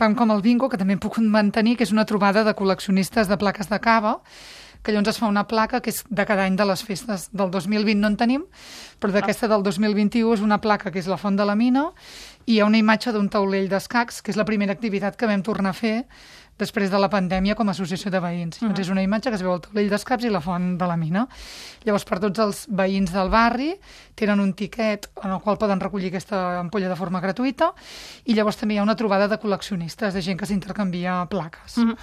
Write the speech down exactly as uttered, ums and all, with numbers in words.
Fan com el bingo, que també em puc mantenir, que és una trobada de col·leccionistes de plaques de cava, que llavors es fa una placa que és de cada any de les festes. Del dos mil vint no en tenim, però d'aquesta del dos mil vint-i-u és una placa que és la Font de la Mina, i hi ha una imatge d'un taulell d'escacs, que és la primera activitat que vam tornar a fer després de la pandèmia com a associació de veïns. Uh -huh. Doncs és una imatge que es veu el taulell d'escacs i la Font de la Mina. Llavors, per tots els veïns del barri tenen un tiquet en el qual poden recollir aquesta ampolla de forma gratuïta, i llavors també hi ha una trobada de col·leccionistes, de gent que s'intercanvia plaques. Uh -huh.